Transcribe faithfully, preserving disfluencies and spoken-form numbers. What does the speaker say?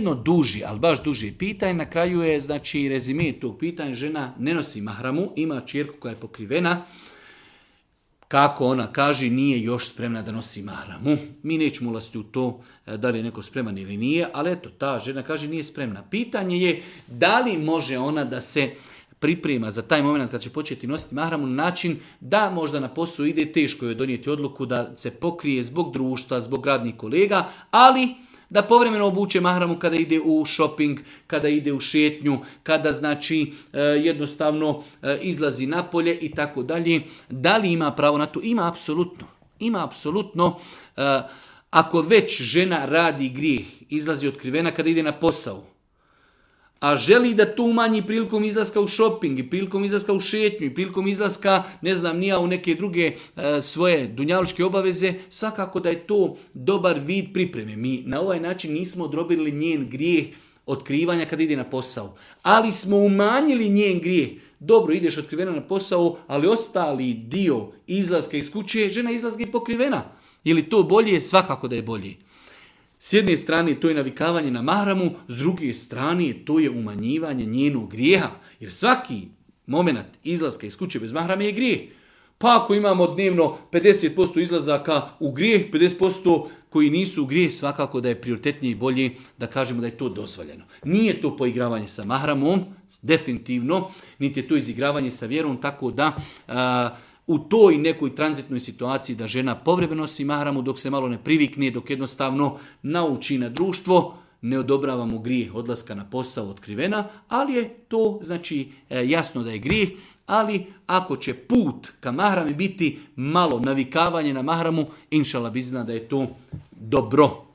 jedno duži, ali baš duži pitanje. Na kraju je, znači, rezime tog pitanja, žena ne nosi mahramu, ima ćerku koja je pokrivena. Kako ona kaže, nije još spremna da nosi mahramu. Mi nećemo ulaziti u to da li je neko spreman ili nije, ali eto, ta žena kaže nije spremna. Pitanje je da li može ona da se priprema za taj moment kad će početi nositi mahramu na način da možda na posao ide, teško je donijeti odluku da se pokrije zbog društva, zbog radnih kolega, ali da povremeno obuče mahramu kada ide u shopping, kada ide u šetnju, kada znači jednostavno izlazi napolje i tako dalje. Da li ima pravo na to? Ima apsolutno. Ima apsolutno. Ako već žena radi grijeh, izlazi otkrivena kada ide na posao, a želi da to umanji prilikom izlaska u shopping i prilikom izlaska u šetnju i prilikom izlaska, ne znam, nija u neke druge e, svoje dunjalučke obaveze, svakako da je to dobar vid pripreme. Mi na ovaj način nismo odrobili njen grijeh otkrivanja kad ide na posao, ali smo umanjili njen grijeh. Dobro, ideš otkrivena na posao, ali ostali dio izlaska iz kuće, žena izlaska i pokrivena. Je li to bolje? Svakako da je bolje. S jedne strane to je navikavanje na mahramu, s druge strane to je umanjivanje njenog grijeha. Jer svaki moment izlaska iz kuće bez mahrame je grijeh. Pa ako imamo dnevno pedeset posto izlazaka u grijeh, pedeset posto koji nisu u grijeh, svakako da je prioritetnije i bolje da kažemo da je to dozvoljeno. Nije to poigravanje sa mahramom, definitivno, niti je to izigravanje sa vjerom, tako da a, u toj nekoj tranzitnoj situaciji da žena povremeno nosi mahramu dok se malo ne privikne, dok jednostavno nauči na društvo, ne odobravamo grijeh odlaska na posao otkrivena, ali je to znači jasno da je grijeh, ali ako će put ka mahrami biti malo navikavanje na mahramu, inšala bi zna da je to dobro.